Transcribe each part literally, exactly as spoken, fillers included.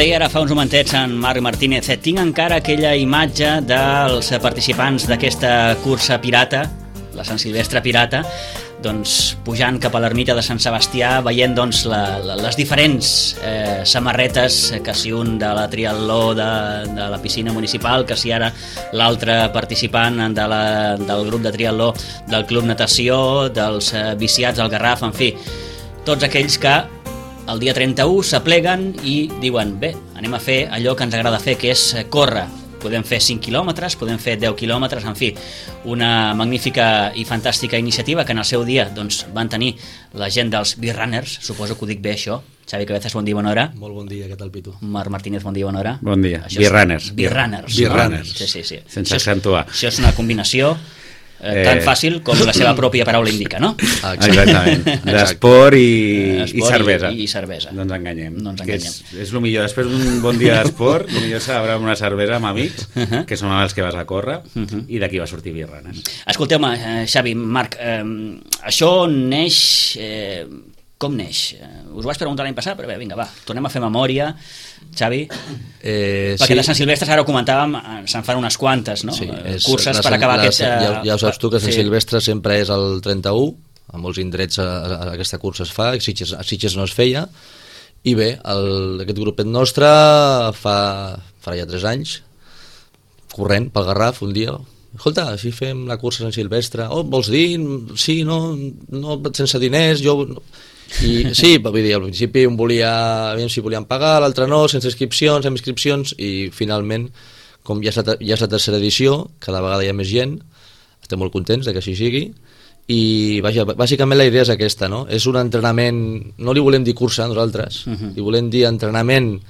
Deia ara fa uns momentets en Marc Martínez, tinc encara aquella imatge dels participants d'aquesta cursa pirata, la Sant Silvestre Pirata, doncs pujant cap a l'ermita de Sant Sebastià, veient doncs la, la, les diferents eh, samarretes, que si un de la triatló de, de la piscina municipal, que si ara l'altre participant de la, del grup de triatló del Club Natació, dels eh, viciats al Garraf, en fi, tots aquells que el dia trenta-u s'apleguen i diuen, bé, anem a fer allò que ens agrada fer, que és córrer. Podem fer cinc quilòmetres, podem fer deu quilòmetres, en fi, una magnífica i fantàstica iniciativa que en el seu dia doncs, van tenir la gent dels Beer Runners, suposo que ho dic bé això. Xavi Cabezas, bon dia, bona hora. Molt bon dia, què tal, Pitu? Marc Martínez, bon dia, bona hora. Bon dia, Beer Runners. Beer Runners. Beer Runners. Sí, sí, sí. Sense accentuar. Això és una combinació eh, tan fàcil com la seva pròpia paraula indica, no? Exactament. D'esport i, i cervesa. I, i cervesa. No ens enganyem. No ens enganyem. enganyem. És, és el millor. Després d'un bon dia d'esport, el millor celebrar una cervesa amb amics, uh -huh. que són els que vas a córrer, uh -huh. i d'aquí va sortir Beer Runners. Escolteu-me, eh, Xavi, Marc, eh, això neix... Eh, com neix? Eh, us ho vaig preguntar l'any passat, però bé, vinga, va, tornem a fer memòria. Xavi? Eh, Perquè sí. de Sant Silvestre, ara ho comentàvem, se'n fan unes quantes, no? Sí, és, curses la, per acabar la, aquest... Ja, ja ho saps tu, que Sant sí. Silvestre sempre és el trenta-u, a molts indrets a, a, aquesta cursa es fa, a Sitges, a Sitges no es feia, i bé, el, aquest grupet nostre fa, farà ja tres anys, corrent pel Garraf un dia, escolta, si fem la cursa Sant Silvestre, oh, vols dir? Sí, no, no sense diners, jo... No. I sí, vull dir, al principi un volia, aviam si volien pagar, l'altre no, sense inscripcions, amb inscripcions, i finalment, com ja és, la, ja és la tercera edició, cada vegada hi ha més gent, estem molt contents de que així sigui, i vaja, bàsicament la idea és aquesta, no? És un entrenament, no li volem dir cursa nosaltres, uh-huh. li volem dir entrenament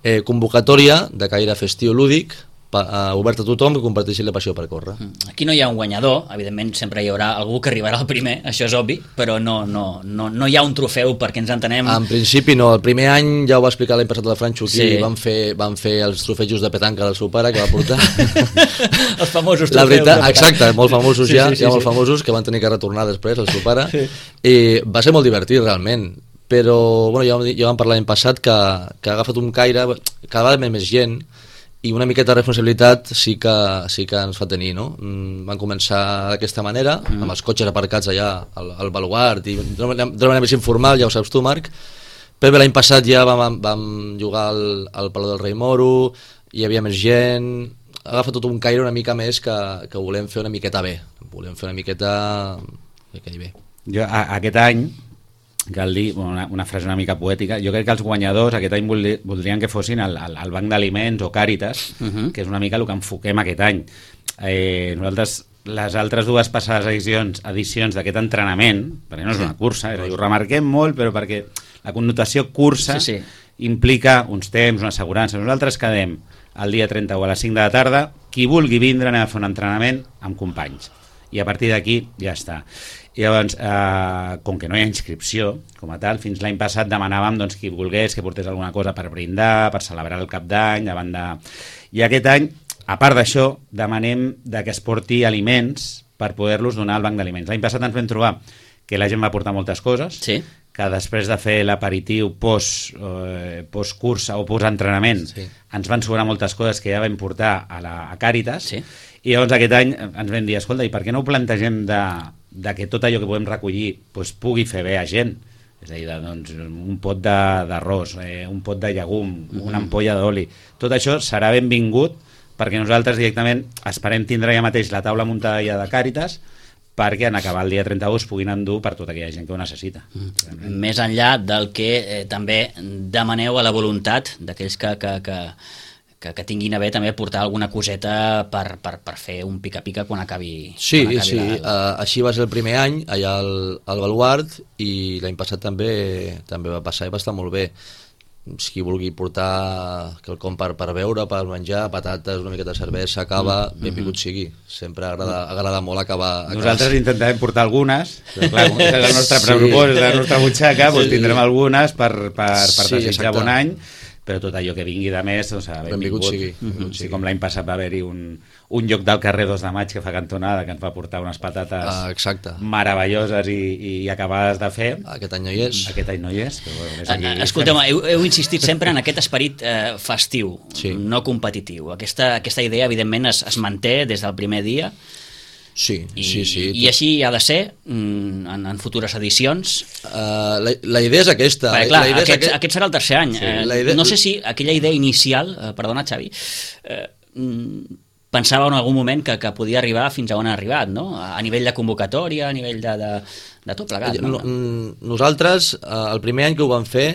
eh, convocatòria de caire festiu lúdic, pa, uh, obert a tothom que comparteixi la passió per córrer. Aquí no hi ha un guanyador, evidentment sempre hi haurà algú que arribarà al primer, això és obvi, però no, no, no, no hi ha un trofeu perquè ens entenem... En principi no, el primer any ja ho va explicar l'any passat a la Franxo aquí, sí. van, fer, van fer els trofejos de petanca del seu pare que va portar. Els famosos trofeus la veritat, exacte, molt famosos sí, ja, sí, sí, ja sí. molt famosos que van tenir que retornar després el seu pare, sí. i va ser molt divertit realment, però bueno, ja, ja vam parlar l'any passat que, que ha agafat un caire, cada vegada més gent, i una miqueta de responsabilitat sí que, sí que ens fa tenir, no? Van començar d'aquesta manera, mm. amb els cotxes aparcats allà al, al baluart, i d'una manera més informal, ja ho saps tu, Marc, però bé, l'any passat ja vam, vam jugar al, al Palau del Rei Moro, hi havia més gent, agafa tot un caire una mica més que, que volem fer una miqueta bé, volem fer una miqueta que quedi bé. Jo, a, aquest any, cal dir una, una frase una mica poètica, jo crec que els guanyadors aquest any voldri, voldrien que fossin el, el, el Banc d'Aliments o Càritas, uh-huh. que és una mica el que enfoquem aquest any. Eh, nosaltres, les altres dues passades edicions, edicions d'aquest entrenament, perquè no és una cursa, és a dir, ho remarquem molt, però perquè la connotació cursa sí, sí. implica uns temps, una assegurança. Nosaltres quedem el dia trenta-u a les cinc de la tarda, qui vulgui vindre anem a fer un entrenament amb companys. I a partir d'aquí ja està. I llavors, eh, com que no hi ha inscripció com a tal, fins l'any passat demanàvem doncs, qui volgués que portés alguna cosa per brindar, per celebrar el cap d'any, davant de... I aquest any, a part d'això, demanem de que es porti aliments per poder-los donar al banc d'aliments. L'any passat ens vam trobar que la gent va portar moltes coses, sí. que després de fer l'aperitiu post, eh, post-cursa o post-entrenament sí. ens van sobrar moltes coses que ja vam portar a, la, a Càritas, sí. i llavors aquest any ens vam dir, escolta, i per què no ho plantegem de, de que tot allò que podem recollir doncs, pugui fer bé a gent? És a dir, de, doncs, un pot d'arròs, eh, un pot de llegum, uh-huh. una ampolla d'oli, tot això serà benvingut perquè nosaltres directament esperem tindre ja mateix la taula muntada ja de Càritas perquè en acabar el dia trenta-u es puguin endur per tota aquella gent que ho necessita. Mm. Més enllà del que eh, també demaneu a la voluntat d'aquells que, que, que, que, que tinguin a bé també portar alguna coseta per, per, per fer un pica-pica quan acabi, sí, quan acabi sí. la... Uh, així va ser el primer any allà al, al Baluart i l'any passat també també va passar i va estar molt bé. Si vulgui portar quelcom per, per beure, per menjar, patates, una miqueta de cervesa, cava, mm -hmm. benvingut sigui. Sempre agrada, agrada molt acabar... Nosaltres intentarem portar algunes, però clar, com és el nostre pressupost, sí. la nostra butxaca, doncs tindrem algunes per, per, per sí, desitjar bon any, però tot allò que vingui de més, doncs, benvingut sigui. Mm-hmm. Sí, com l'any passat va haver-hi un, un lloc del carrer dos de maig que fa cantonada, que ens va portar unes patates ah, exacte. meravelloses i, i acabades de fer. Aquest any no hi és. Aquest any no hi és. Però, bueno, és aquí. Escolteu, heu, heu insistit sempre en aquest esperit eh, festiu, sí. no competitiu. Aquesta, aquesta idea, evidentment, es, es manté des del primer dia. Sí, I, sí, sí. I així ha de ser en, en futures edicions. Uh, la, la idea és aquesta. Perquè, clar, la idea aquest, aquest... aquest serà el tercer any. Sí, eh, idea... No sé si aquella idea inicial, eh, perdona Xavi, eh, pensava en algun moment que, que podia arribar fins a on ha arribat, no? A nivell de convocatòria, a nivell de, de, de tot plegat. No? Nosaltres, eh, el primer any que ho vam fer,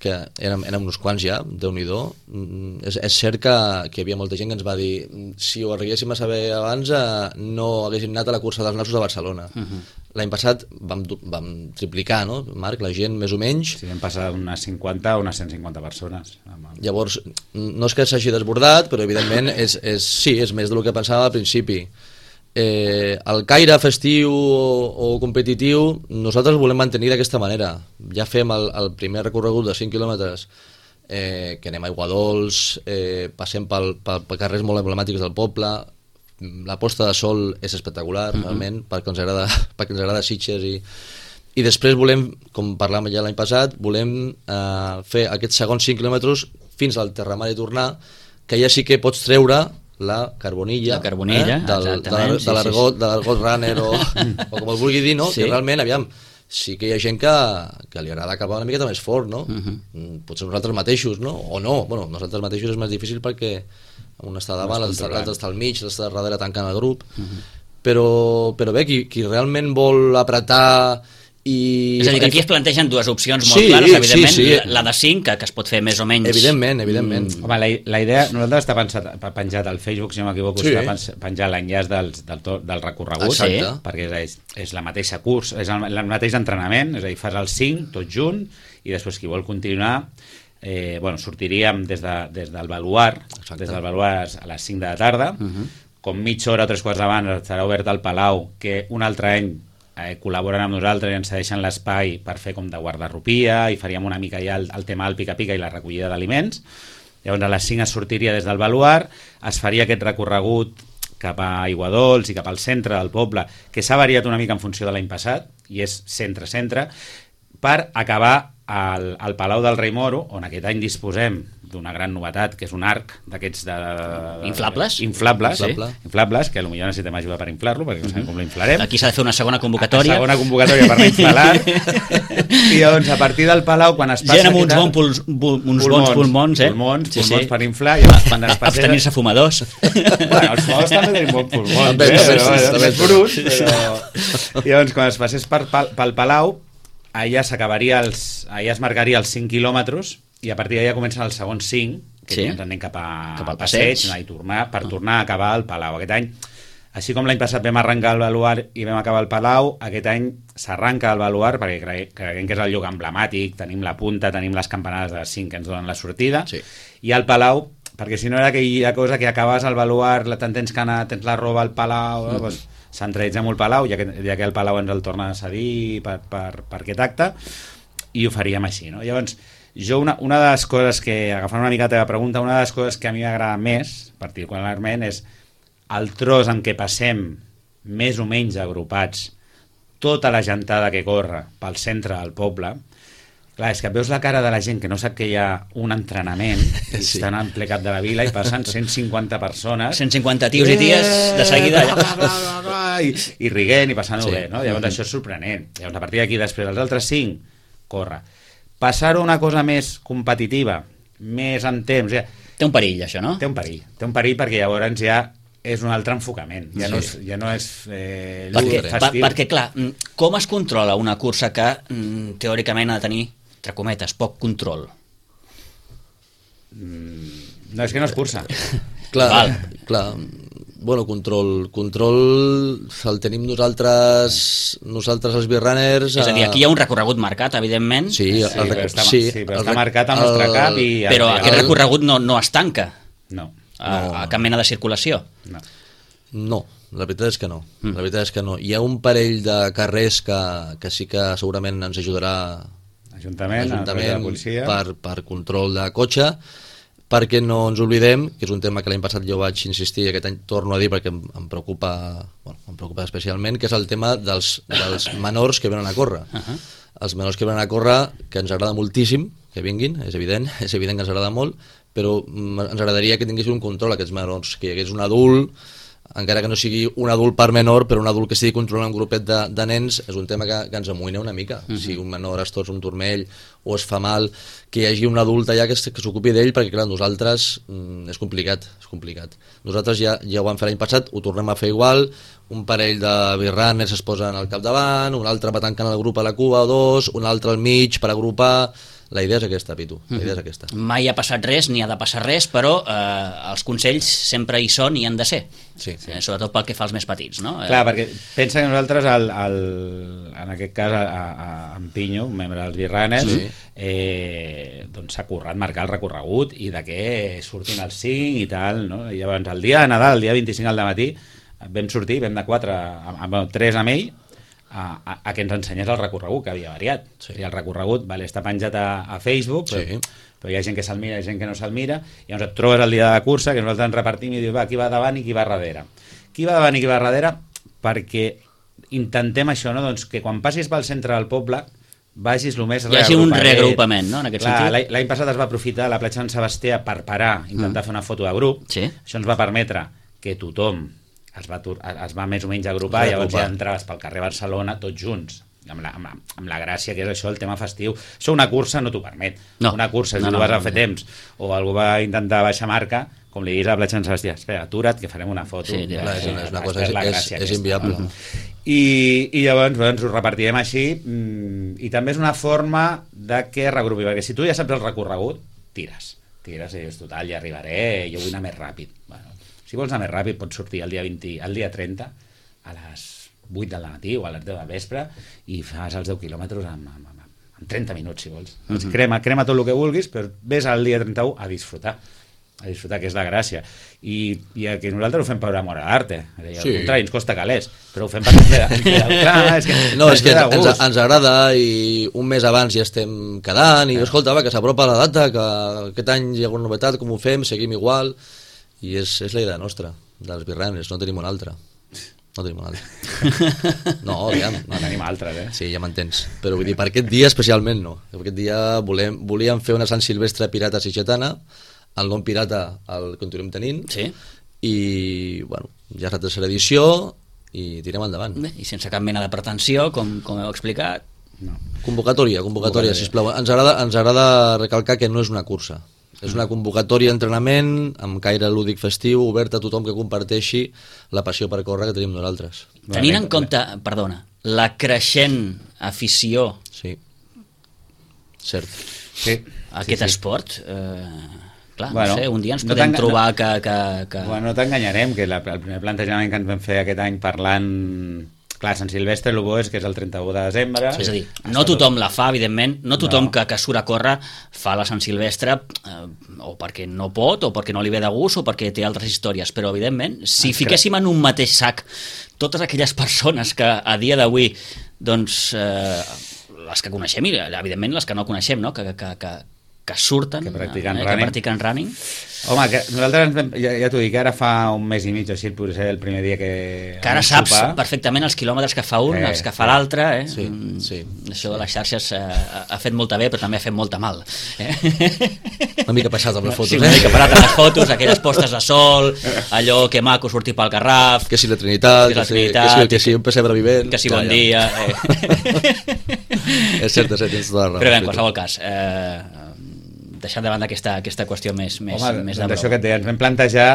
que érem, érem uns quants ja, Déu-n'hi-do, és, és cert que, que hi havia molta gent que ens va dir si ho arribéssim a saber abans eh, no haguéssim anat a la cursa dels nassos de Barcelona. Uh-huh. L'any passat vam, vam triplicar, no, Marc, la gent més o menys. Sí, vam passar d'unes cinquanta a unes cent cinquanta persones. Llavors, no és que s'hagi desbordat, però evidentment és, és, sí, és més del que pensàvem al principi. Eh, el caire festiu o, o competitiu nosaltres volem mantenir d'aquesta manera. Ja fem el, el primer recorregut de cinc quilòmetres, eh, que anem a Aiguadols, eh, passem pel, pel, pel carrers molt emblemàtics del poble. La posta de sol és espectacular, mm-hmm. realment, perquè ens agrada, perquè ens agrada Sitges, i, i després volem, com parlàvem ja l'any passat, volem eh, fer aquests segons cinc quilòmetres fins al Terramar i tornar, que ja sí que pots treure la carbonilla, la carbonilla eh, del, de, de, de l'argot de l'argot runner o, o com el vulgui dir, no? Sí. Que realment, aviam, sí que hi ha gent que, que li agrada acabar una miqueta més fort, no? Uh-huh. Potser nosaltres mateixos, no? O no, bueno, nosaltres mateixos és més difícil perquè un està davant, l'altre està al mig, l'altre darrere tancant el grup, uh-huh. però, però bé, qui, qui realment vol apretar i... És a dir, que aquí es plantegen dues opcions molt sí, clares, evidentment, sí, sí. La, la de cinc, que, que es pot fer més o menys... Evidentment, evidentment. Mm. Home, la, la idea, nosaltres està pensat, penjat al Facebook, si no m'equivoco, sí. Està penjat l'enllaç del, del, del recorregut, sí. perquè és, és la mateixa curs, és el, el mateix entrenament, és a dir, fas el cinc, tot junt, i després qui vol continuar, eh, bueno, sortiríem des, de, des del Baluard, des del Baluard a les cinc de la tarda, uh-huh. com mitja hora o tres quarts d'abans estarà obert al Palau, que un altre any Eh, col·laboren amb nosaltres i ens cedeixen l'espai per fer com de guardarropia i faríem una mica ja el, el tema del pica-pica i la recollida d'aliments. Llavors a les cinc es sortiria des del Baluard, es faria aquest recorregut cap a Aiguadols i cap al centre del poble, que s'ha variat una mica en funció de l'any passat, i és centre-centre, per acabar al, al Palau del Rei Moro, on aquest any disposem d'una gran novetat, que és un arc d'aquests de... Inflables? Inflables, sí. Inflable. Inflables, que potser necessitem ajuda per inflar-lo, perquè no sabem com l'inflarem. Aquí s'ha de fer una segona convocatòria. Una segona convocatòria per l'inflar l'arc. I doncs, a partir del Palau, quan es passa... Gent amb uns, bon puls, bul, uns pulmons, bons pulmons, eh? Pulmons, sí, pulmons sí. per inflar. I llavors, quan es passa... Abstenir-se fumadors. Bueno, els fumadors també tenim bons pulmons, eh? Però, però, és brut, però... I llavors, quan es passés per, pel Palau, allà s'acabaria els... allà es marcaria els cinc quilòmetres i a partir d'allà comencen els segons cinc, que sí. Ens anem cap, a, cap al passeig, passeig. I tornar, per tornar a acabar al Palau. Aquest any, així com l'any passat vam arrencar el Baluard i vam acabar al Palau, aquest any s'arranca al Baluard perquè cre creiem que és el lloc emblemàtic, tenim la punta, tenim les campanades de cinc que ens donen la sortida, sí. I al Palau, perquè si no era aquella cosa que acabes al Baluard, te'n tens que anar, tens la roba al Palau, mm. doncs, centralitzem el Palau, ja que, ja que el Palau ens el torna a cedir per, per, per aquest acte, i ho faríem així, no? Llavors, jo una, una de les coses que, agafant una mica la teva pregunta, una de les coses que a mi m'agrada més, particularment, és el tros en què passem més o menys agrupats tota la gentada que corre pel centre del poble. Clar, és que veus la cara de la gent que no sap que hi ha un entrenament, i sí. Estan en ple cap de la vila i passen cent cinquanta persones, cent cinquanta tios i ties de seguida bla, bla, bla, bla, i, i riguent i passant-ho sí. bé, no? Llavors mm-hmm. Això és sorprenent. Llavors a partir d'aquí després els altres cinc corre. Passar-ho una cosa més competitiva, més en temps... Ja, té un perill, això, no? Té un perill. Té un perill perquè llavors ja és un altre enfocament. Ja sí. no és, ja no és eh, perquè, per, perquè, clar, com es controla una cursa que teòricament ha de tenir, entre cometes, poc control? Mm, no, és que no és cursa. Clar, Val. clar. Bueno, control, control el tenim nosaltres, nosaltres els birrunners. És a dir, aquí hi ha un recorregut marcat, evidentment. Sí, sí, el, però està, sí, sí, però està el, marcat al nostre el, cap. I però el, aquest el, recorregut no, no es tanca no, a, no. a cap mena de circulació. No. No, la veritat és que no. Mm. La veritat és que no. Hi ha un parell de carrers que, que sí que segurament ens ajudarà Ajuntament, l'Ajuntament la policia. per, per control de cotxe, perquè no ens oblidem, que és un tema que l'any passat jo vaig insistir i aquest any torno a dir perquè em, em preocupa, bueno, em preocupa especialment, que és el tema dels, dels menors que venen a córrer. Uh -huh. Els menors que venen a córrer, que ens agrada moltíssim que vinguin, és evident, és evident que ens agrada molt, però ens agradaria que tinguessin un control aquests menors, que hi hagués un adult, encara que no sigui un adult per menor, però un adult que estigui controlant un grupet de, de nens, és un tema que, que ens amoïna una mica. Uh -huh. Si un menor es torça un turmell o es fa mal, que hi hagi un adult allà que, que s'ocupi d'ell, perquè clar, nosaltres mm, és complicat, és complicat. Nosaltres ja, ja ho vam fer l'any passat, ho tornem a fer igual, un parell de birranes es posen al capdavant, un altre va tancant el grup a la cua o dos, un altre al mig per agrupar. La idea és aquesta, Pitu, la idea és aquesta. Mai ha passat res, ni ha de passar res, però eh, els consells sempre hi són i han de ser. Sí, sí. Eh, sobretot pel que fa als més petits, no? Clar, perquè pensa que nosaltres, el, el, en aquest cas, a, a, a en Pinyo, un membre dels Birranes, sí. eh, doncs s'ha currat marcar el recorregut i de què surtin els cinc i tal, no? I llavors, el dia de Nadal, el dia vint-i-cinc al matí, vam sortir, vam de quatre, amb, amb tres amb ell, A, a, a que ens ensenyés el recorregut, que havia variat. Sí. O sigui, el recorregut vale, està penjat a, a Facebook, però, sí. però hi ha gent que se'l mira i gent que no se'l mira, i llavors et trobes el dia de la cursa, que nosaltres ens repartim i dius, va, qui va davant i qui va darrere. Qui va davant i qui va darrere? Perquè intentem això, no? Doncs que quan passis pel centre del poble vagis el més reagrupament. Hi hagi un reagrupament, no?, en aquest Clar, sentit. L'any passat es va aprofitar la platja Sant Sebastià per parar, intentar mm. fer una foto de grup. Sí. Això ens va permetre que tothom es va, es va més o menys agrupar, i llavors ja entraves pel carrer Barcelona tots junts, amb la, amb, la, amb la gràcia que és això, el tema festiu. Això una cursa no t'ho permet. No. Una cursa, si no, tu vas no, a fer no. temps, o algú va intentar baixar marca, com li diguis a la platja Sant Sebastià, espera, atura't, que farem una foto. Sí, ja, és, una, és una cosa, és, és, és inviable. No? I, i llavors doncs, ho repartirem així, i també és una forma de que regrupi, perquè si tu ja saps el recorregut, tires. Tires i dius, total, ja arribaré, jo vull anar més ràpid. Bueno, si vols anar més ràpid, pots sortir el dia, vint, el dia trenta a les vuit del matí o a les deu del vespre i fas els deu quilòmetres en, en, en trenta minuts, si vols. Mm -hmm. crema, crema tot el que vulguis, però ves al dia trenta-u a disfrutar, a disfrutar, que és la gràcia. I, i que nosaltres ho fem per amor a l'arte. Al sí. contrari, ens costa calés, però ho fem per clar, és que no, és que ens, ens agrada, i un mes abans ja estem quedant, i escolta, va, que s'apropa la data, que aquest any hi ha alguna novetat, com ho fem, seguim igual. I és, és la idea nostra, dels birranes, no tenim una altra. No tenim una altra. No, aviam. No tenim altres, eh? Sí, ja m'entens. Però vull dir, per aquest dia especialment no. Per aquest dia volem, volíem fer una Sant Silvestre pirata sitgetana, el nom pirata el continuem tenint, sí. I, bueno, ja és la tercera edició i tirem endavant. Bé, i sense cap mena de pretensió, com, com heu explicat. No. Convocatòria, convocatòria, sisplau. Ens agrada, ens agrada recalcar que no és una cursa. És una convocatòria d'entrenament amb caire lúdic festiu, oberta a tothom que comparteixi la passió per córrer que tenim nosaltres. Tenint en compte, perdona, la creixent afició sí. Cert. Sí. a aquest sí, sí. esport, eh, clar, bueno, no sé, un dia ens no podem trobar que... que, que... Bueno, no t'enganyarem, que la, el primer plantejament que ens vam fer aquest any parlant... Clar, Sant Silvestre, el bo és que és el trenta-u de desembre. Sí, és a dir, no tothom la fa, evidentment, no tothom no. que, que surt a córrer fa la Sant Silvestre eh, o perquè no pot, o perquè no li ve de gust, o perquè té altres històries, però evidentment, si Ens fiquéssim en un mateix sac totes aquelles persones que a dia d'avui, doncs, eh, les que coneixem i evidentment les que no coneixem, no? que, que, que, que surten, que practiquen, eh, running. que practiquen running. Home, que nosaltres ens vam, ja, ja t'ho dic, ara fa un mes i mig així, potser ser el primer dia que... Que ara saps sopar. perfectament els quilòmetres que fa un, eh, els que fa l'altre, eh? Sí, sí. Això de les xarxes eh, ha fet molta bé, però també ha fet molta mal. Eh? Una mica passat amb les fotos, sí, eh? una mica passat amb les fotos, aquelles postes de sol, allò que maco sortir pel Garraf... Que si la Trinitat, que, la si, Trinitat, que, si, que si un pessebre vivent... Que si bon ja, dia... Eh? És cert, és cert, tens tota la raó. Però bé, en qualsevol cas... Eh, deixant davant d'aquesta aquesta qüestió més, més, Home, més de això que et deia, ens vam plantejar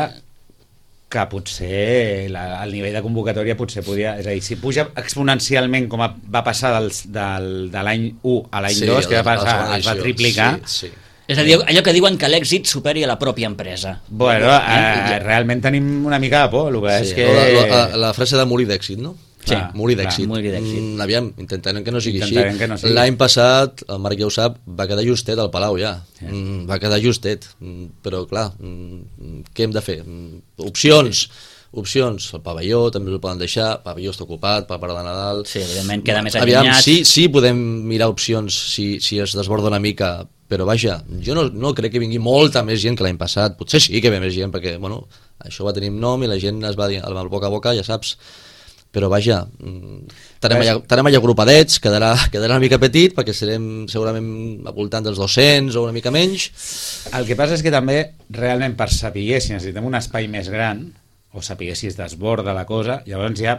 que potser la, el nivell de convocatòria potser podia... És a dir, si puja exponencialment com va passar del, del, de l'any u a l'any sí, dos, que va passar, es va triplicar... Sí, sí. És a dir, allò que diuen que l'èxit superi a la pròpia empresa. Bueno, eh, realment tenim una mica de por, el que sí, és que... La, la, la frase de morir d'èxit, no? Sí, morir d'èxit. Mm, aviam, intentarem que no sigui intentarem així. No sigui. L'any passat, el Marc ja ho sap, va quedar justet al Palau ja. Sí. Mm, va quedar justet. Mm, però clar, mm, què hem de fer? Mm, opcions. Opcions, el pavelló també el poden deixar, el pavelló està ocupat per part de Nadal. Sí, evidentment queda més Aviam, allunyat. sí, sí podem mirar opcions si, si es desborda una mica, però vaja, jo no, no crec que vingui molta més gent que l'any passat, potser sí que ve més gent, perquè bueno, això va tenir nom i la gent es va dir al boca a boca, ja saps, però vaja, estarem allà, estarem allà agrupadets, quedarà, quedarà una mica petit perquè serem segurament al voltant dels dos-cents o una mica menys. El que passa és que també realment per saber si necessitem un espai més gran o saber si es desborda la cosa, llavors ja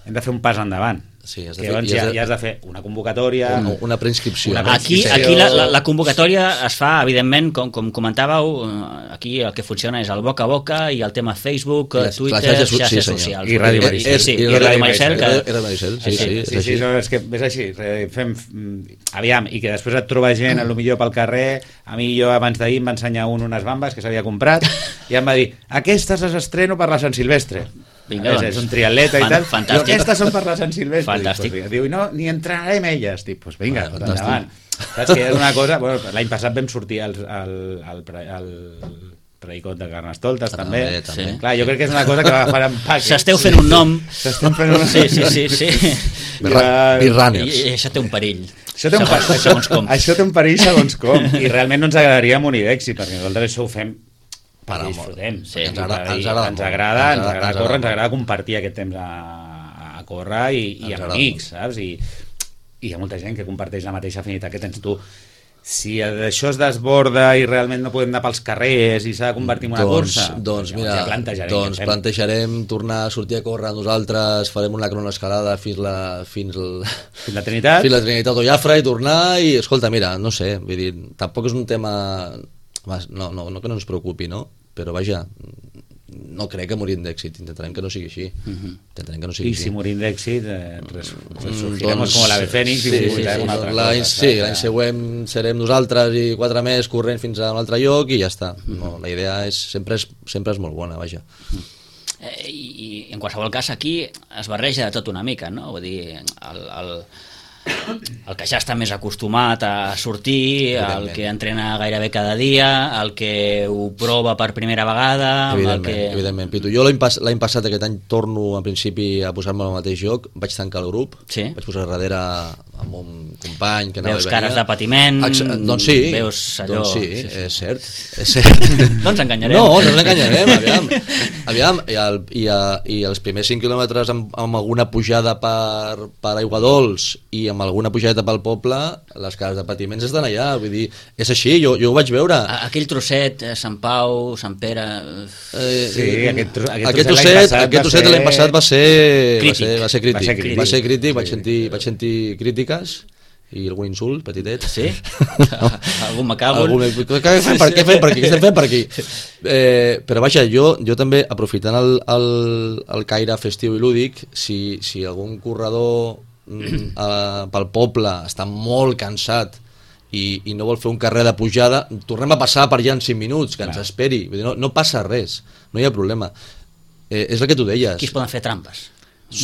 hem de fer un pas endavant. Sí, has de que fer, llavors ja, ja, ja has de fer una convocatòria, una, una preinscripció. Una Aquí, aquí la, la, la convocatòria es fa, evidentment, com, com comentàveu, aquí el que funciona és el boca a boca i el tema Facebook, les, Twitter, xarxes, xarxes sí, socials. I Ràdio Maricel. I, sí, i, i Ràdio Maricel. Que... I Ràdio Maricel, sí, sí, sí, és sí, així. sí, no, és que és així. Fem, aviam, i que després et troba gent, a lo millor pel carrer. A mi jo abans d'ahir em va ensenyar un unes bambes que s'havia comprat i em va dir, aquestes les estreno per la Sant Silvestre. Vinga, és, doncs. és un triatleta i tal. Fantàstic. Aquestes són per la Sant Silvestre. Fantàstic. Dic, pues, diu, i no, ni entrenarem elles. Dic, pues vinga, Ah, tot endavant. Saps que és una cosa... Bueno, l'any passat vam sortir al, al, al, al Predicot de Carnestoltes, Ah, també. també, també. Clar, jo crec que és una cosa que va agafar en pack. S'esteu fent un nom. S'estem fent un nom. Sí, sí, sí. sí. Birra- I, Birrunners. I això té un perill. Això té, un, segons, això, segons com. això té un perill segons com. I realment no ens agradaria morir d'èxit, perquè nosaltres això ho fem Per perquè amor. disfrutem. Sí, Ens ens agrada- agrada, ens agrada ens molt. agrada, Ens ens agrada- agrada ens córrer, agrada ens agrada compartir aquest temps a, a córrer i, i Ens amb agrada amics, saps? I, I hi ha molta gent que comparteix la mateixa afinitat que tens tu. Si això es desborda i realment no podem anar pels carrers i s'ha de convertir en una doncs, cursa, doncs llavors mira, ja plantejarem, doncs què fem. plantejarem tornar a sortir a córrer nosaltres, farem una cronoescalada fins la, fins, el, Fins la Trinitat. fins la Trinitat o Jafra i tornar i, escolta, mira, no sé, vull dir, tampoc és un tema, no, no, no que no ens preocupi, no? Però vaja, no crec que morim d'èxit, intentarem que no sigui així, intentarem que no sigui I així. si morim d'èxit, eh, res, Mm, resurgiremos doncs, com l'ave Fènix i sí, sí, publicarem sí, una doncs altra l'any cosa. sí, saps? l'any següent serem nosaltres i quatre més corrent fins a un altre lloc i ja està. No, la idea és, sempre, és, sempre és molt bona, vaja. Eh, i, I en qualsevol cas aquí es barreja de tot una mica, no? Vull dir, el, el, el que ja està més acostumat a sortir, el que entrena gairebé cada dia, el que ho prova per primera vegada, amb el Evidentment, que... evidentment. Pitu, jo l'any pas, l'any passat, aquest any, torno en principi a posar-me al mateix joc, vaig tancar el grup, Sí. vaig posar darrere amb un company que anava Veus i cares venia. de patiment, Exa- doncs sí, veus allò... doncs sí, sí, sí. és cert, és cert. No ens enganyarem. No, no ens enganyarem, aviam. Aviam, i, el, i, a, i els primers cinc quilòmetres amb, amb alguna pujada per, per Aiguadols i amb alguna pujada pel poble, les cares de patiments estan allà, vull dir, és així, jo, jo ho vaig veure. A- Aquell trosset, eh, Sant Pau, Sant Pere... Eh, Sí, aquest tro- aquest aquest trosset trosset, l'any passat aquest va trosset ser- l'any passat va ser Crític. va ser, va ser crític, Va ser crític. va ser crític, vaig Sí. sentir, vaig sentir crítiques i algun insult petitet. Sí? Algun me cago. Algun, què fem per, què fem per aquí? Què estem fent per aquí? Eh, però vaja, jo, jo també, aprofitant el, el, el caire festiu i lúdic, si, si algun corredor mm, a, pel poble està molt cansat i, i no vol fer un carrer de pujada, tornem a passar per allà en cinc minuts, que ens Clar. esperi. Vull dir, no, no passa res, no hi ha problema. Eh, és el que tu deies. Aquí es poden fer trampes.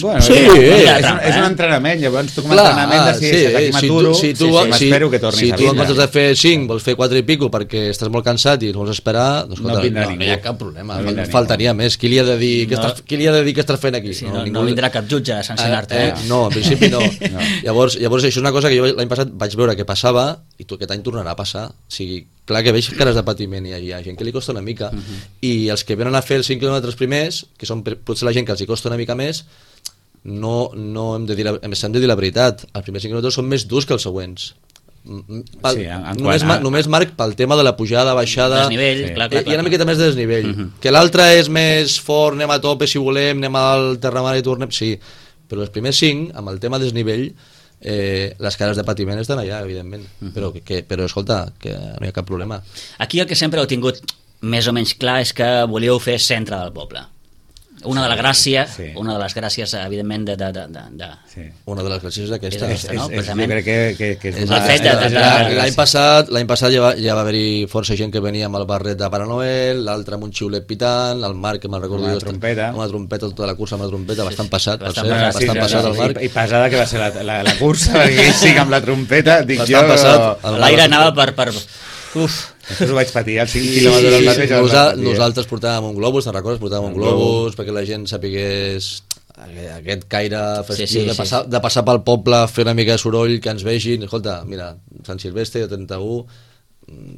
Bueno, Sí, és, eh. és, un, és un entrenament, llavors tu com a Clar, entrenament de si, sí, si aquí si m'aturo, tu, si tu, sí, sí, m'espero que tornis si a tu en vindre. comptes de fer cinc vols fer quatre i pico perquè estàs molt cansat i no vols esperar, doncs, No escolta, vindrà no, ningú. no hi ha cap problema, No vindrà faltaria més. Qui li ha de dir, No. què estàs, qui li ha de dir què estàs fent aquí? Sí, no, no vindrà cap jutge a sancionar-te. Eh, Eh, eh, no, en principi no. No. Llavors, llavors això és una cosa que jo l'any passat vaig veure que passava i tu aquest any tornarà a passar. O sigui, clar que veig cares de patiment i hi ha gent que li costa una mica i els que venen a fer els cinc quilòmetres primers, que són per- potser la gent que els hi costa una mica més, no, no hem de dir la, hem de dir la veritat, els primers cinc quilòmetres són més durs que els següents. Mm, Pel, Sí, en- en només, quant a- ma, només marc pel tema de la pujada, baixada, Desnivell, Sí. clar, eh, clar, hi ha una clar. miqueta més de desnivell. Que l'altre és més fort, anem a tope si volem, anem al Terramar i tornem, sí, però els primers cinc, amb el tema desnivell, eh, les cares de patiment estan allà, evidentment, però, que, però escolta, que no hi ha cap problema. Aquí el que sempre heu tingut més o menys clar és que volíeu fer centre del poble. Una de les gràcies, Sí. una de les gràcies, evidentment, de... de, de, de, de... Sí. Una de les gràcies és És aquesta. aquesta, no? És, és, jo Precisament. crec que, que, que és És una... el fet de- de- és de- una de- L'any passat, l'any passat ja va, ja va haver-hi força gent que venia amb el barret de Pare Noel, l'altre amb un xiulet pitant, el Marc, que me'n recordo Amb una jo, trompeta. amb una trompeta, tota la cursa amb la trompeta, bastant passat, per bastant cert, passat, bastant sí, passat no, el no, Marc. I, I pesada que va ser la, la, la cursa, perquè ell sí que amb la trompeta, dic Bastant jo... passat. El L'aire anava per, per, Uf. Després ho vaig patir, els cinc quilòmetres al mateix. Nosa, nosaltres portàvem un globus, te'n recordes? Portàvem un globus perquè la gent sapigués aquest caire festiu sí, sí, de, passar, sí. de passar pel poble, fer una mica de soroll, que ens vegin. Escolta, mira, Sant Silvestre, trenta-u,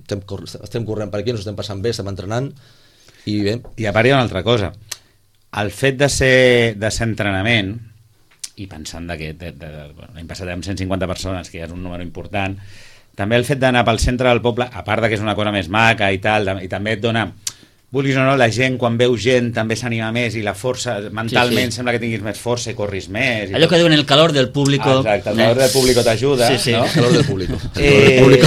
estem, estem corrent per aquí, ens estem passant bé, estem entrenant, i bé. I a part hi ha una altra cosa. El fet de ser, de ser entrenament, i pensant que l'any passat amb cent cinquanta persones, que ja és un número important, també el fet d'anar pel centre del poble, a part de que és una cosa més maca i tal, i també et dona, vulguis o no, la gent, quan veu gent, també s'anima més i la força, mentalment, sí, sí. sembla que tinguis més força i corris més. I allò tot. Que diuen el calor del público. Exacte, el calor del público t'ajuda. Sí, sí. No? El calor del público. Eh,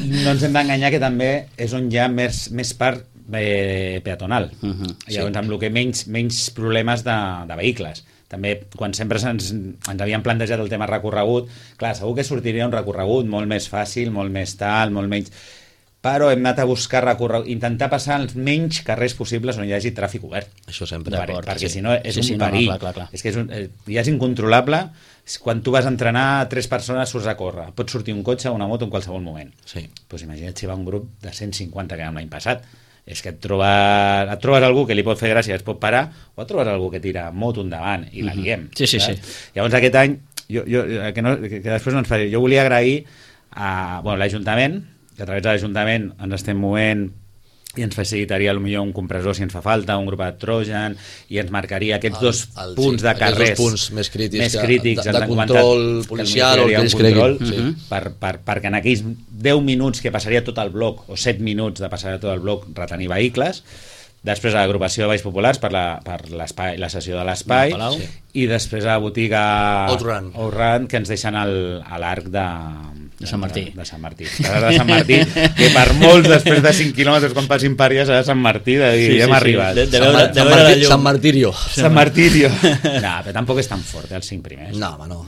no ens hem d'enganyar que també és on hi ha més, més part eh, peatonal. Uh -huh. Llavors, sí. amb el que menys, menys problemes de, de vehicles. També, quan sempre ens, ens havíem plantejat el tema recorregut, clar, segur que sortiria un recorregut molt més fàcil, molt més tal, molt menys... Però hem anat a buscar recorregut, intentar passar els menys carrers possibles on hi hagi tràfic obert. Això sempre. Per, perquè sí. si no és sí, un sí, perill. No, no, clar, clar, clar. És que és un, ja és incontrolable. Quan tu vas a entrenar, tres persones surts a córrer. Pot sortir un cotxe o una moto en qualsevol moment. Sí. Pues imagina't si va un grup de cent cinquanta que vam l'any passat. És que et trobes, et trobes algú que li pot fer gràcia, es pot parar, o et trobes algú que tira moto endavant i la liem. Sí, sí, sí. Llavors aquest any, jo, jo, que, no, que, que després no ens faré, jo volia agrair a bueno, l'Ajuntament, que a través de l'Ajuntament ens estem movent i ens facilitaria potser un compressor si ens fa falta, un grup de Trojan, i ens marcaria aquests dos el, el, punts de carrers dos punts més crítics, més crítics de, de, de control policial o el que ells creguin sí. per, per, perquè en aquells deu minuts que passaria tot el bloc, o set minuts de passar tot el bloc, retenir vehicles. Després a l'agrupació de Valls Populars per la, per l'espai, la sessió de l'espai, sí. I després a la botiga Outrun, Outrun que ens deixen el, a l'arc de de Sant Martí. De, de Sant Martí. De Sant Martí, que per molts, després de cinc quilòmetres, quan passin per allà, serà Sant Martí, de dir, sí, ja hem sí, arribat. Sí. De, de veure, de veure Sant, Sant Martirio. Sant Martirio. No, però tampoc és tan fort, eh, els cinc primers. No, home, no.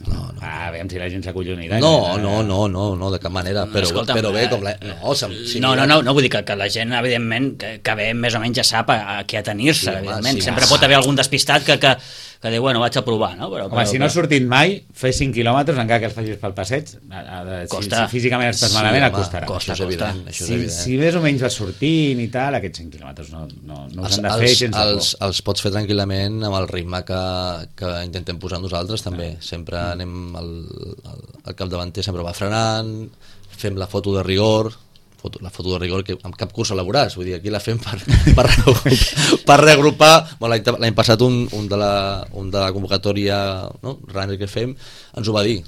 No, no, no. Ah, veiem si la gent s'acollonirà. No, no, no, no, no, de cap manera. Però, Escolta'm, però bé, com la... No, si no, no, no, no, vull dir que, que la gent, evidentment, que, que bé, més o menys ja sap a, a què atenir-se, sí, evidentment. Sí, Sempre va. pot haver algun despistat que... que que diu, bueno, vaig a provar, no? Però, Home, però, si no has sortit mai, fer cinc quilòmetres, encara que els facis pel passeig, si, si físicament estàs sí, malament, home, et costarà. Costa, això és evident. Això és si, evident. si més o menys vas sortint i tal, aquests cinc quilòmetres no, no, no els han de fer els, sense els, por. Els pots fer tranquil·lament amb el ritme que, que intentem posar nosaltres, també. Ah. Sempre mm. anem, el, el, el capdavanter sempre va frenant, fem la foto de rigor, foto, la foto de rigor que amb cap curs elaboràs, vull dir, aquí la fem per, per, per reagrupar. Bueno, l'any passat un, un, de la, un de la convocatòria, no? runner que fem, ens ho va dir.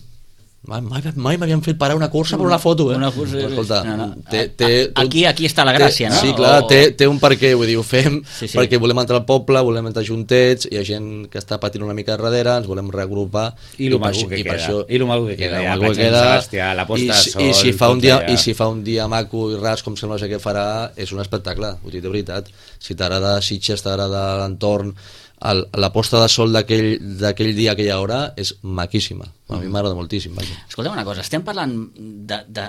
Mai, mai, mai m'havien fet parar una cursa per una foto, eh? Una cursa, escolta, no, no. Té, té, aquí, aquí està la gràcia, té, no? Sí, clar, o... té, té un perquè, vull dir, ho fem sí, sí. perquè volem entrar al poble, volem entrar juntets, hi ha gent que està patint una mica darrere, ens volem reagrupar i el maco que queda, això, i el maco que queda, ja, que queda Sebastià, la posta de sol, i, si fa un dia, i si fa un dia maco i ras com sembla que farà, és un espectacle, vull dir, de veritat. Si t'agrada Sitges, t'agrada l'entorn, el, la posta de sol d'aquell dia, aquella hora, és maquíssima. A mi m'agrada moltíssim. Vaja. Escolta'm una cosa, estem parlant de, de,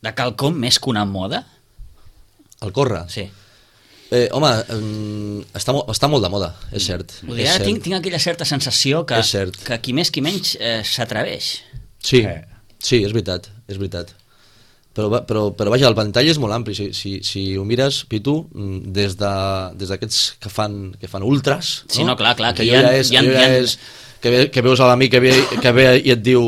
de quelcom més que una moda? El córrer? Sí. Eh, home, està, està molt de moda, és cert. Vull dir, ara tinc, tinc aquella certa sensació que, que qui més qui menys eh, s'atreveix. Sí, sí, és veritat, és veritat. Però, però, però vaja, el ventall és molt ampli. Si, si, si ho mires, Pitu, des d'aquests de, des que, fan, que fan ultras, no? Sí, no, clar, clar, que, que ja, és, ja, ja és, que, ve, que veus a l'amic que, ve, que ve i et diu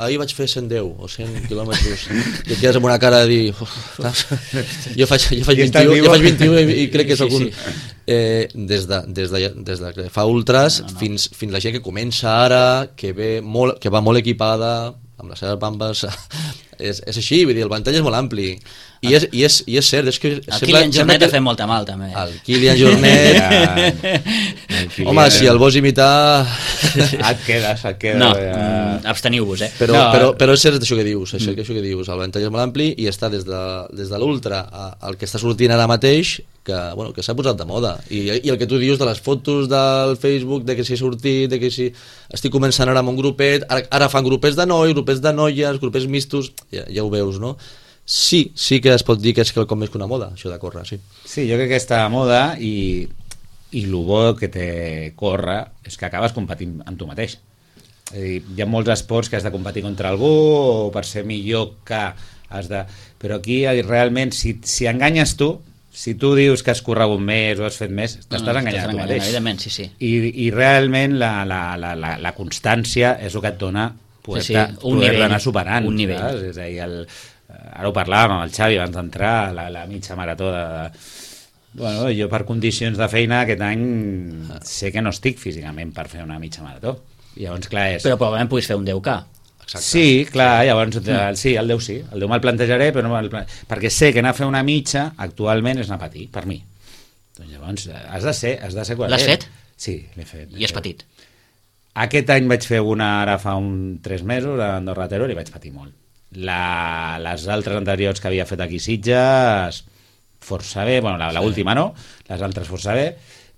ahir vaig fer cent deu o cent quilòmetres i et quedes amb una cara de dir jo faig, jo faig vint-i-u jo faig vint-i-u i, i crec que és algun... Sí, sí. Eh, des, de, des, de, des de que fa ultras no, no, no. Fins, fins la gent que comença ara, que, ve molt, que va molt equipada amb les seves bambes és, és així, vull dir, el ventall és molt ampli i és, i és, i és cert és que el Kilian Jornet que... ha fet molta mal també el Kilian Jornet Kilian... home, si el vols imitar et quedes, et quedes no, ja... absteniu-vos eh? però, no, però, però és cert això que dius això, mm. això que dius, el ventall és molt ampli i està des de, des de l'ultra al que està sortint ara mateix que, bueno, que s'ha posat de moda I, i el que tu dius de les fotos del Facebook de que s'hi ha sortit, de que si estic començant ara amb un grupet, ara, ara fan grupets de nois, grupets de noies, grupets mistos ja, ja ho veus, no? Sí, sí que es pot dir que és quelcom més que una moda, això de córrer, sí. Sí, jo crec que està a moda i, i el bo que té córrer és que acabes competint amb tu mateix. És a dir, hi ha molts esports que has de competir contra algú o per ser millor que has de... Però aquí realment, si, si enganyes tu, si tu dius que has corregut més o has fet més, t'estàs no, enganyant tu mateix. Evidentment, sí, sí. I, i realment la, la, la, la, la constància és el que et dona poder, sí, sí. poder anar superant. Un nivell. Saps? És a dir, el, ara ho parlàvem amb el Xavi abans d'entrar, la, la mitja marató de... Bueno, jo per condicions de feina aquest any sé que no estic físicament per fer una mitja marató. I llavors, clar, és... Però probablement puguis fer un deu K. Exacte. Sí, clar, llavors el, sí, el deu sí, el deu me'l plantejaré, però no me'l plantejaré, perquè sé que anar a fer una mitja actualment és anar a patir, per mi. Doncs llavors has de ser, has de ser L'has fet? Sí, l'he fet. I és petit? Aquest any vaig fer una ara fa un tres mesos a Andorra Terror i vaig patir molt. La, les altres anteriors que havia fet aquí Sitges força bé, bueno, la, la última no, les altres força bé,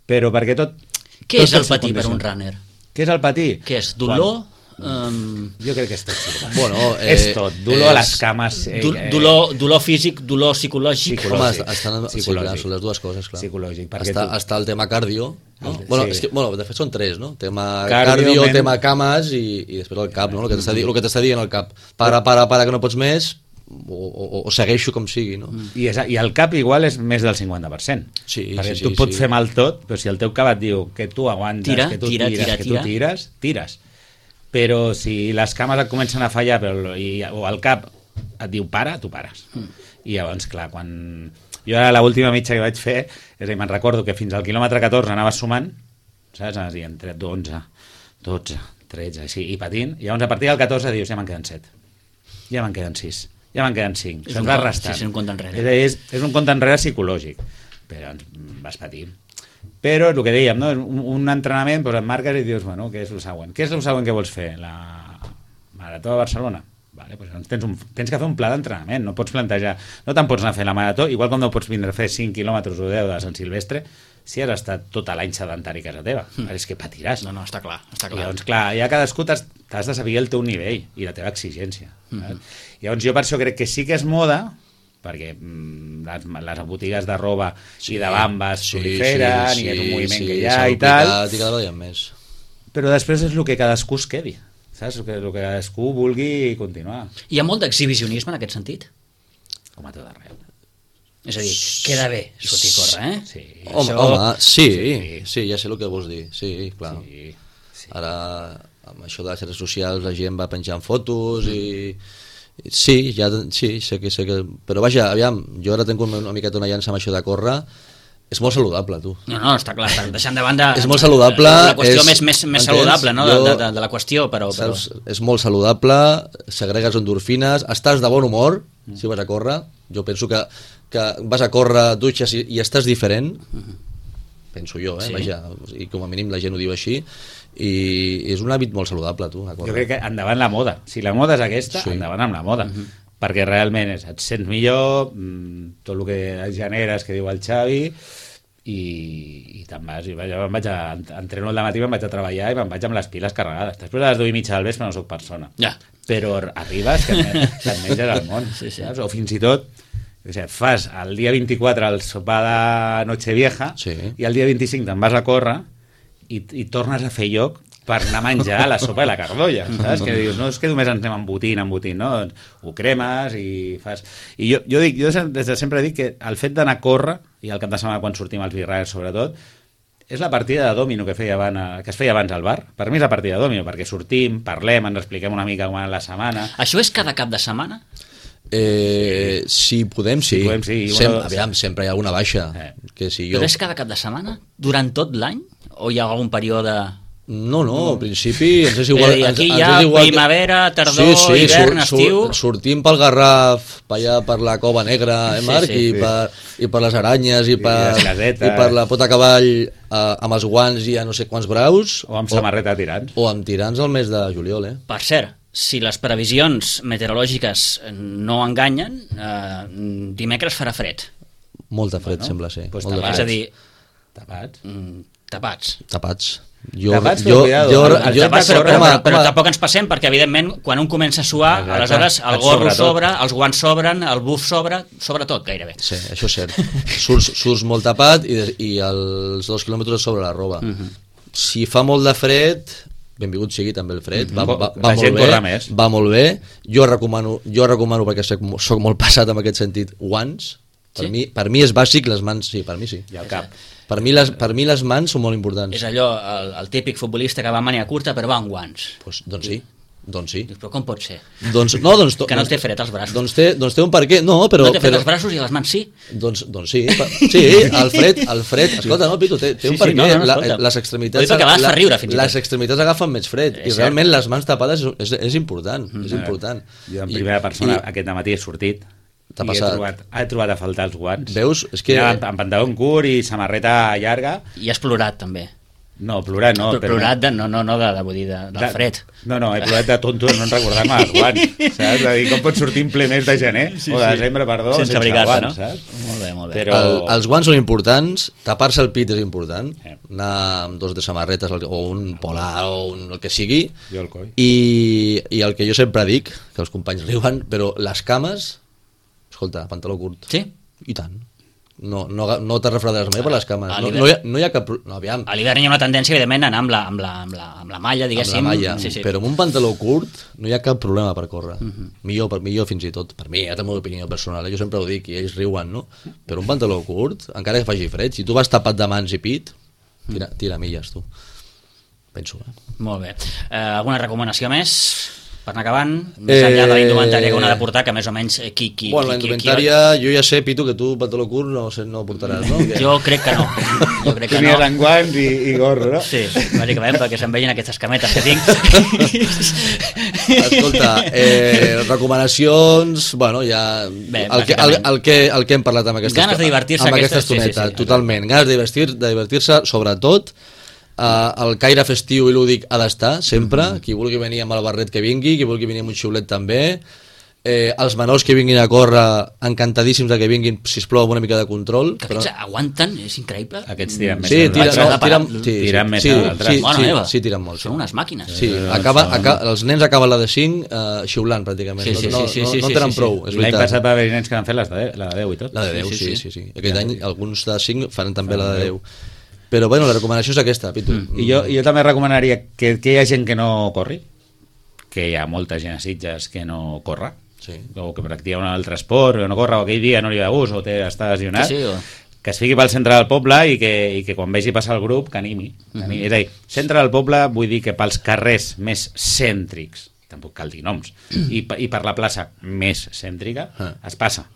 però perquè tot... Què tot és el patir per un runner? Què és el patir? Què és, dolor? Quan... Um... Jo crec que és tot. Bueno, eh, és tot, dolor és... a les cames. Eh, Do, dolor, dolor físic, dolor psicològic. Psicològic. Home, estan, sí, clar, són les dues coses, clar. Psicològic. Està, tu... està el tema cardio, no? El, bueno, sí. és que, bueno, de fet són tres, no? Tema cardio, cardio men... tema cames i, i després el cap, no? El que t'està di... dient el cap. Para, para, para, que no pots més, o, o, o segueixo com sigui, no? I, és, I el cap igual és més del cinquanta per cent. Sí, perquè sí, tu sí, pots sí. fer mal tot, però si el teu cap et diu que tu aguantes, tira, que tu tira, tires, tira, que tira. tu tires, tires. Però si les cames et comencen a fallar però, i, o el cap et diu para, tu pares. Mm. I llavors, clar, quan... Jo ara l'última mitja que vaig fer, és a dir, me'n recordo que fins al quilòmetre catorze anaves sumant, saps? Anaves dient onze, dotze, tretze, així, i patint, i llavors a partir del catorze dius, ja me'n queden set, ja me'n queden sis, ja me'n queden cinc, és se'n un, va restant. Sí, és un compte enrere. És, és, és un compte enrere psicològic, però vas patint. Però el que dèiem, no? un, un entrenament, doncs et marques i dius, bueno, què és el següent? Què és el següent que vols fer? La Marató de Barcelona? Vale, doncs tens, un, tens que fer un pla d'entrenament, no pots plantejar, no te'n pots anar a fer la Marató, igual com no pots vindre a fer cinc quilòmetres o deu de Sant Silvestre, si has estat tota l'any sedentari a casa teva, mm. és que patiràs. No, no, està clar. Està clar. I llavors, clar, ja cadascú t'has, t'has de saber el teu nivell i la teva exigència. Mm. Llavors jo per això crec que sí que és moda, perquè mm, les, les botigues de roba sí, i de bambes sí, proliferen sí, i és un moviment sí, que hi ha i tal, i cada vegada més. Però després és el que cadascú es quedi, saps? El que, el que cadascú vulgui continuar. Hi ha molt d'exhibicionisme en aquest sentit? Com a tot arreu. És a dir, queda bé sortir a córrer, eh? Sí. Home, Això... home sí, sí, sí, ja sé el que vols dir, sí, clar. Sí, sí. Ara, amb això de les xarxes socials, la gent va penjant fotos i... Sí, ja, sí, sé que, sé que... Però vaja, aviam, jo ara tinc una, una miqueta una llança amb això de córrer. És molt saludable, tu. No, no, està clar, està deixant de banda... És molt saludable. La qüestió és, més, més, més saludable, no?, jo, de, de, de la qüestió, però... però... Saps, és molt saludable, segregues endorfines, estàs de bon humor, mm. si vas a córrer. Jo penso que, que vas a córrer, dutxes i, i estàs diferent. Mm. Penso jo, eh? Sí. Vaja, i com a mínim la gent ho diu així. I és un hàbit molt saludable, tu. Jo crec que endavant la moda. Si la moda és aquesta, sí. endavant amb la moda. Uh-huh. Perquè realment és, et sents millor, tot el que generes, que diu el Xavi, i, i te'n vas. I jo em vaig a, entreno al dematí, me'n vaig a treballar i me'n vaig amb les piles carregades. Després a les deu i mitja del vespre no soc persona. Ja. Però arribes que et, que et menges el món. Sí, sí. Saps? O fins i tot o sigui, fas el dia vint-i-quatre el sopar de Nochevieja sí. i el dia vint-i-cinc te'n vas a córrer i, i tornes a fer lloc per anar a menjar la sopa i la cardolla, saps? Que dius, no és que només ens anem embotint, embotint, no? Ho cremes i fas... I jo, jo dic, jo des de sempre dic que el fet d'anar a córrer, i el cap de setmana quan sortim als birrars sobretot, és la partida de dòmino que, feia abans, que es feia abans al bar. Per mi és la partida de dòmino, perquè sortim, parlem, ens expliquem una mica com va la setmana... Això és cada cap de setmana? Eh, si podem, sí. Si podem, sí. Sem aviam, sempre hi ha alguna baixa. Eh. Que si jo... Però és cada cap de setmana? Durant tot l'any? O hi ha algun període... No, no, al principi ens és igual... Eh, aquí ens, hi ha ens igual primavera, tardor, sí, sí, hivern, sur, estiu... Sur, sortim pel Garraf, per allà per la Cova Negra, eh, Marc? Sí, sí, i, sí. Per, I per les aranyes, i per, I, i per la pota cavall eh, amb els guants i a no sé quants graus. O amb samarreta tirants. O amb tirants al mes de juliol, eh? Per cert, si les previsions meteorològiques no enganyen, eh, dimecres farà fred. Molta fred, bueno, sembla ser. Pues Molt tapats. És a dir... Tapats. Mm, tapats. Tapats. Jo, tapats, jo, cuidado. jo, el, jo, tapats, però, però, home, però, però home. tampoc ens passem, perquè evidentment quan un comença a suar, exacte, aleshores el gorro sobretot. sobre, els guants sobren, el buf sobre, sobretot gairebé. Sí, això és cert. Surts, surts molt tapat i, i els dos quilòmetres sobre la roba. Uh -huh. Si fa molt de fred, benvingut sigui també el fred, va, Mhm. va, La va, gent molt bé, corre més. va molt bé, jo recomano, jo recomano perquè soc, soc molt passat en aquest sentit, guants, per, Sí? mi, per mi és bàsic, les mans, sí, per mi sí. I al cap. Per mi les, per mi les mans són molt importants. És allò, el, el típic futbolista que va amb màniga curta però va amb guants. Pues, doncs sí, doncs sí. Dius, però com pot ser? Doncs, no, doncs, Que no doncs, té fred als braços. Doncs té, doncs té un per què, no, però... no té fred però, als braços i a les mans sí. Doncs, doncs sí, pa- sí, el fred, el fred, escolta, no, Pitu, té, té Sí, un per sí, què, no, no, la, escolta. les extremitats... Ho dic perquè a vegades fa riure, fins i tot. Les extremitats agafen més fred, És i realment les mans tapades és, és, és important, Mm. és important. Jo en I- primera persona i- aquest matí he sortit T'ha i he passat. trobat, he trobat a faltar els guants. Veus? És que... Anava amb pantaló curt i samarreta llarga. I has plorat també. No, plorar no. Però però plorat de, no, no, no de, de, vull dir, de, del de- fred. No, no, he plorat de tonto de no recordar-me els guants, saps? De dir, com pots sortir en ple mes de gener, Sí, o de sí. desembre, perdó, Sense sense, abrigar-te, guants, no? saps? Molt bé, molt bé. Però... El, els guants són importants, tapar-se el pit és important, Eh. anar amb dos de samarretes o un polar o un, el que sigui, Jo el coi. i, i el que jo sempre dic, que els companys riuen, però les cames, escolta, pantaló curt, Sí? i tant. No, no, no te refredaràs mai per les cames. A No, l'hivern- no, hi ha, no hi ha cap... pro- No, aviam, A l'hivern hi ha una tendència, evidentment, a anar amb la, amb la, amb la, amb la malla, amb diguéssim. la malla, Sí, sí. però amb un pantaló curt no hi ha cap problema per córrer. Mhm. millor, per, millor fins i tot. Per mi, ja té la meva opinió personal, eh? Jo sempre ho dic i ells riuen, no? Però un pantaló curt, encara que faci fred, si tu vas tapat de mans i pit, tira, tira milles, tu. Penso, eh? Molt bé. Eh, alguna recomanació més? Per anar acabant, més enllà de la indumentària que una ha de portar, que més o menys eh, qui... qui Bueno, la qui- qui- indumentària, jo ja sé, Pitu, que tu pantaló curt no, sé, no portaràs, no? qui- Jo crec que no. Jo crec que Tenies no. en guants i, i gorro, no? Sí, bàsicament perquè se'n vegin aquestes cametes que tinc. Escolta, eh, recomanacions, bueno, ja... Bé, el, que, el, el, que, el que hem parlat amb aquesta, Ganes de divertir-se amb aquesta aquestes- sí, sí, estoneta, sí, totalment. Ganes de divertir- de divertir-se, sobretot. Uh, el caire festiu i lúdic ha d'estar, sempre. Mm-hmm. Qui vulgui venir amb el barret que vingui, qui vulgui venir amb un xiulet també. Eh, els menors que vinguin a córrer, encantadíssims de que vinguin, sisplau, amb una mica de control. Que aquests aguanten, és increïble. Aquests tiren més Sí, que tiren, nosaltres. no, tiren, sí, Tiren sí, més sí, que nosaltres. sí, Bona sí, meva. sí, tiren molt. Són unes màquines. Sí, Eh, acaba, són- acaba, els nens acaben la de cinc eh, xiulant, pràcticament. Sí, sí, no, sí, sí, no, sí, no, no sí, en tenen sí, prou, sí. és L'any veritat. passat va haver nens que van fer les de, la de deu i tot. La de deu, Sí, sí, sí, sí. sí. sí, sí. Aquest any alguns de cinc faran també la de deu. Però bueno, la recomanació és aquesta, Pitu. Mm. I jo, jo també recomanaria que, que hi ha gent que no corri, que hi ha molta gent a Sitges que no corre, Sí. o que practica un altre esport, o no corre, o aquell dia no li va gust, o té, està lesionat, Sí, sí, o- que es fiqui pel centre del poble i que, i que quan vegi passar el grup que animi. Que animi. És a dir, centre del poble vull dir que pels carrers més cèntrics, tampoc cal dir noms, i, pe- i per la plaça més cèntrica, Ah. es passa.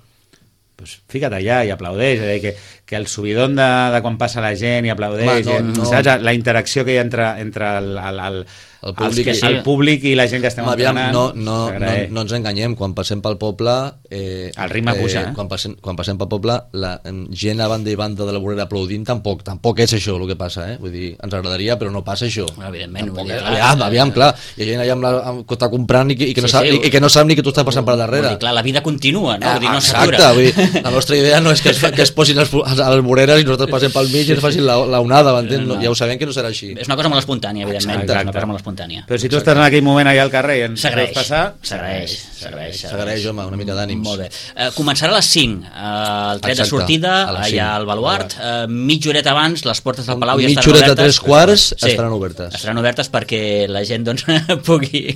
Pues fica't allà i aplaudeix, és a dir, que, que el subidon de, de quan passa la gent i aplaudeix, Home, no, i, no. saps? La interacció que hi ha entre, entre el, el, el, El els públic que, i- el públic i la gent que estem Home, aviam, entrenant. no, no, no, s'agraeix. no ens enganyem, quan passem pel poble... Eh, El ritme puja, eh? Quan passem, quan passem pel poble, la em, gent a banda i banda de la vorera aplaudint, tampoc, tampoc és això el que passa, eh? Vull dir, ens agradaria, però no passa això. Bueno, evidentment, Tampoc, vull dir, eh? clar. aviam, aviam, clar, hi ha gent allà amb la, amb, que està comprant i que, i que, no Sí, sap, sí, i, i que no sap ni que tu estàs passant per darrere. Vull dir, clar, la vida continua, no? Ah, Vull dir, no exacte, s'atura. vull dir, la nostra idea no és que es, fa- que es posin les, les voreres i nosaltres passem pel mig i ens facin la, la onada, m'entens? No, no. Ja ho sabem que no serà així. És una cosa molt espontània, evidentment. Exacte. És una cosa molt espontània. Però si tu estàs en aquell moment allà al carrer i ens S'agraeix, veus passar... s'agraeix, s'agraeix. S'agraeix, home, una mica d'ànims. Molt bé. Eh, començarà a les cinc, eh, el tret de Exacte, sortida, a les allà cinc. al Baluart. Eh, mitja horeta abans, les portes del Palau ja Mitja estaran horeta, obertes. tres quarts, estaran obertes. Estaran obertes perquè la gent doncs, pugui...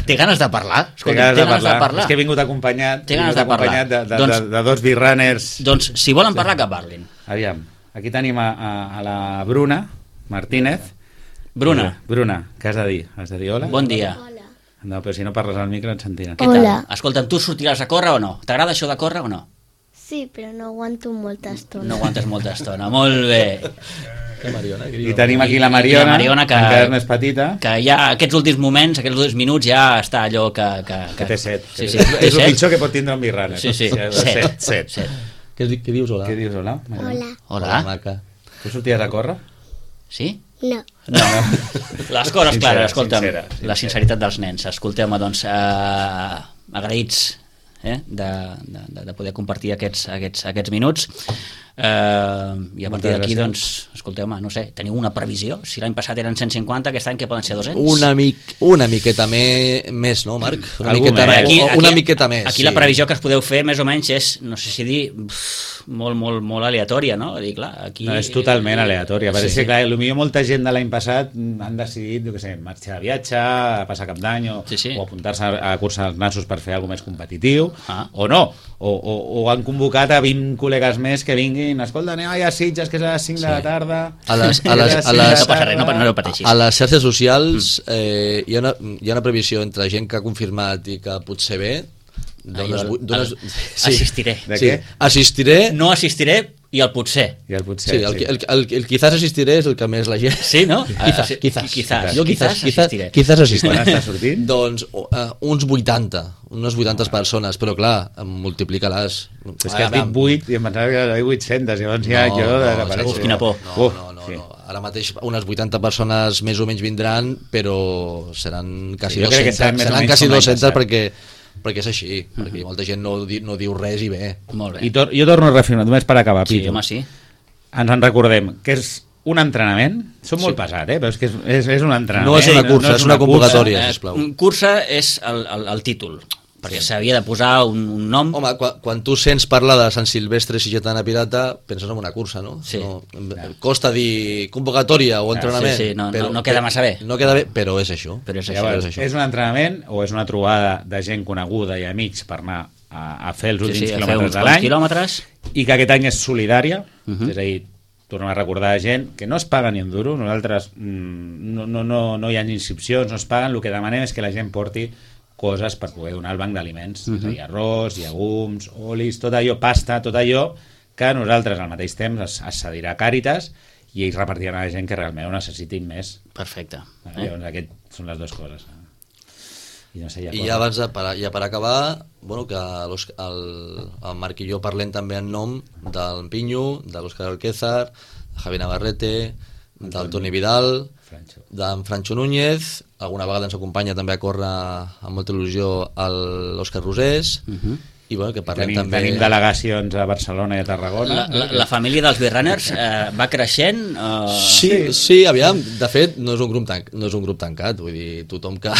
Té ganes de parlar? Té Escolta, ganes, té de, parlar. És que he vingut acompanyat, Té he ganes vingut de parlar. acompanyat de, de, Doncs- de, de dos birrunners. Doncs, si volen parlar, que parlin. Aviam, aquí tenim a, a, a la Bruna Martínez. Bruna, Bruna, què has de dir? Has de dir hola? bon dia. Hola. No, però si no parles al micro ens sentiran. Què Hola. tal? Escolta'm, tu sortiràs a córrer o no? T'agrada això de córrer o no? Sí, però no aguanto molta estona. No aguantes molta estona. Molt bé. Que Mariona, que I diu. tenim aquí la I la Mariona, Mariona que- encara és més petita. Que ja aquests últims moments, aquests últims minuts, ja està allò que... Que, Que té set. Sí, que sí, és, té és el set. pitjor que pot tindre un birrunner. Sí, sí, set. set. set. set. Què, di- què dius, hola? Què dius, hola? Mariona? Hola. Hola. maca. Tu sorties a córrer? Sí? No. No. Les coses Sincera, clares, escolta'm, sincera, sincera. la sinceritat dels nens. Escolteu-me, doncs, eh, agraïts eh, de, de, de poder compartir aquests, aquests, aquests minuts. Uh, I a partir Moltes d'aquí, gràcies. doncs, escolteu-me, no sé, teniu una previsió? Si l'any passat eren cent cinquanta, aquest any que poden ser dos-cents? Una, mic, una miqueta me, més, no, Marc? Una Algú miqueta, més. aquí, una aquí, miqueta més. Aquí sí. la previsió que es podeu fer, més o menys, és, no sé si dir, pff, molt, molt, molt aleatòria, no? Dir, clar, aquí... No, és totalment aleatòria. Perquè Sí, sí, sí. clar, potser molta gent de l'any passat han decidit, jo què sé, marxar de viatge, a passar cap d'any, o, Sí, sí. o apuntar-se a curses als nassos per fer alguna més competitiu, Ah. o no. O, o, o han convocat a vint col·legues més que vinguin, escolta, anem a Sitges, que és a les cinc sí. de la tarda... A les, a les, a No les, passa res, no, no ho pateixis. a les xarxes socials eh, hi, ha una, hi ha una previsió entre gent que ha confirmat i que potser ve. Dones, Ah, jo- dones, el- assistiré. De sí, què? assistiré. No assistiré i el potser. I el potser, Sí, el, el, el, el quizás assistiré és el que més la gent... Sí, no? Quizás, Ah, quizás, quizás. Jo quizás, quizás, assistiré. quizás assistiré. Quan està sortint? Doncs uh, uns vuitanta, unes vuitanta persones, però clar, multiplica-les. És que has dit vuit i em pensava que era vuit-centes, llavors ja jo desapareixo. Uf, quina por. No, Uf, no, no, sí. no. Ara mateix unes vuitanta persones més o menys vindran, però seran quasi Sí, jo crec que seran dues-centes, més o seran menys quasi com l'any dues-centes passat. perquè, perquè és així, perquè molta gent no, di, no diu res i ve. Molt bé. I tor jo torno a reafirmar, només per acabar, Sí, Pitu. home, sí. Ens en recordem que és un entrenament, som molt pesat, eh? però és que és, és, és un entrenament. No és una cursa, és una convocatòria. Eh, sisplau. cursa és el, el, el títol, perquè s'havia de posar un, un nom. Home, quan, quan tu sents parlar de Sant Silvestre Sitgetana Pirata, penses en una cursa, no? Sí. no costa dir convocatòria o entrenament. sí, sí, no- no- no queda massa bé. No queda bé, però és això. Però és això. Llavors, és això. és un entrenament o és una trobada de gent coneguda i amics per anar a, a fer els Sí, últims sí, a fer quilòmetres uns de quants l'any quilòmetres. i que aquest any és solidària, Uh -huh. és a dir, tornem a recordar a gent que no es paga ni un duro, nosaltres mm, no, no, no, no hi ha inscripcions, no es paguen, el que demanem és que la gent porti coses per poder donar al banc d'aliments, uh -huh. Hi ha arròs, llegums, olis, tot allò, pasta, tot allò que nosaltres al mateix temps es, es cedirà a Càritas i ells repartiran a la gent que realment ho necessitin més. Perfecte. Eh? Llavors, aquestes són les dues coses. I no sé, hi ha I coses. ja abans de, per, ja per acabar, bueno, que l'Òsc- el, el Marc i jo parlem també en nom del Pinyo, de l'Òscar Alquézar, de Javi Navarrete, del Toni Vidal, Francho. d'en Francho Núñez, alguna vegada ens acompanya també a córrer amb molta il·lusió el l'Òscar Rosés, Uh -huh. i bueno, que parlem Tenim, també... tenim delegacions a Barcelona i a Tarragona. La, la, la família dels Birrunners eh, va creixent? Eh... Sí, sí, aviam, de fet no és un grup, tan, no és un grup tancat, vull dir, tothom que,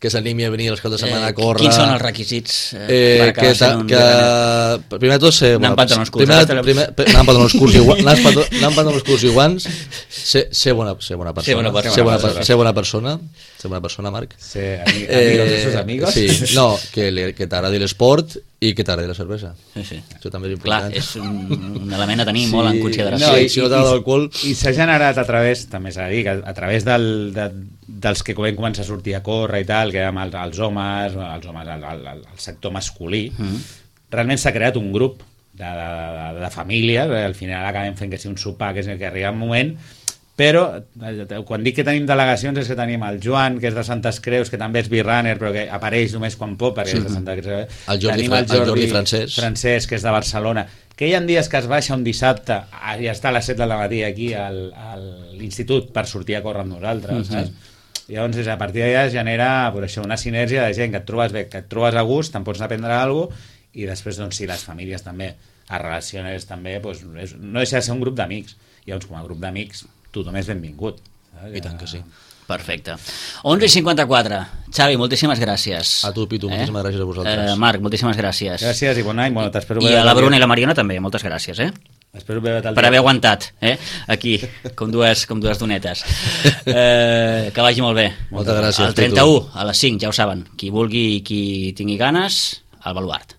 que s'animi a venir els caps de setmana a córrer... Quins són els requisits eh, Eh, per acabar que, sent ta, un que Birrunner? primer de tot ser, Anar amb pantalons curts, primer, ara te- primer, primer, anar amb pantalons curts i guants, anar amb pantalons- anar amb pantalons curts i guants, ser, ser, bona, ser bona persona, Ser bona persona. ser bona, per- ser bona persona, ser bona persona, Marc. Sí, ami- amigos de sus amigos. sí, no, que, li- que t'agradi l'esport i que t'agradi la cervesa. Sí, sí. Això també és Clar, important. és un, un element a tenir molt en consideració. No, i, i si no t'agrada l'alcohol- I s'ha generat a través, també s'ha de dir, que a través del, de, dels que vam començar a sortir a córrer i tal, que érem els, els homes, els homes el, el, el sector masculí, mm. realment s'ha creat un grup de, de, de, de famílies, eh, al final acabem fent que sigui un sopar, que és el que arriba un moment, però eh, quan dic que tenim delegacions és que tenim el Joan, que és de Santes Creus, que també és birrunner, però que apareix només quan pot, perquè sí. és de Santa Creus. El Jordi tenim Fra- el Jordi Francesc. Francesc, que és de Barcelona, que hi ha dies que es baixa un dissabte i està a les set del matí aquí al, a l'institut per sortir a córrer amb nosaltres, uh -huh. saps? Llavors, a partir d'allà es genera pues, això, una sinergia de gent que et trobes bé, que et trobes a gust, te'n pots aprendre alguna cosa, i després, doncs, si les famílies també es relacionen també, doncs, és, no deixa de ser un grup d'amics. Llavors, com a grup d'amics, tothom és benvingut. Saps? I tant que sí. Perfecte. onze i cinquanta-quatre. Xavi, moltíssimes gràcies. A tu, Pitu, moltíssimes gràcies a vosaltres. Eh, Marc, moltíssimes gràcies. Gràcies i bon any. Bueno, t'espero I veure a la tal Bruna dia. i la Mariona també, moltes gràcies, eh? Espero veure tal Per dia. haver aguantat, eh? Aquí, com dues, com dues donetes. Eh, que vagi molt bé. Moltes gràcies, El trenta-u, a les cinc, ja ho saben. Qui vulgui i qui tingui ganes, al Baluart.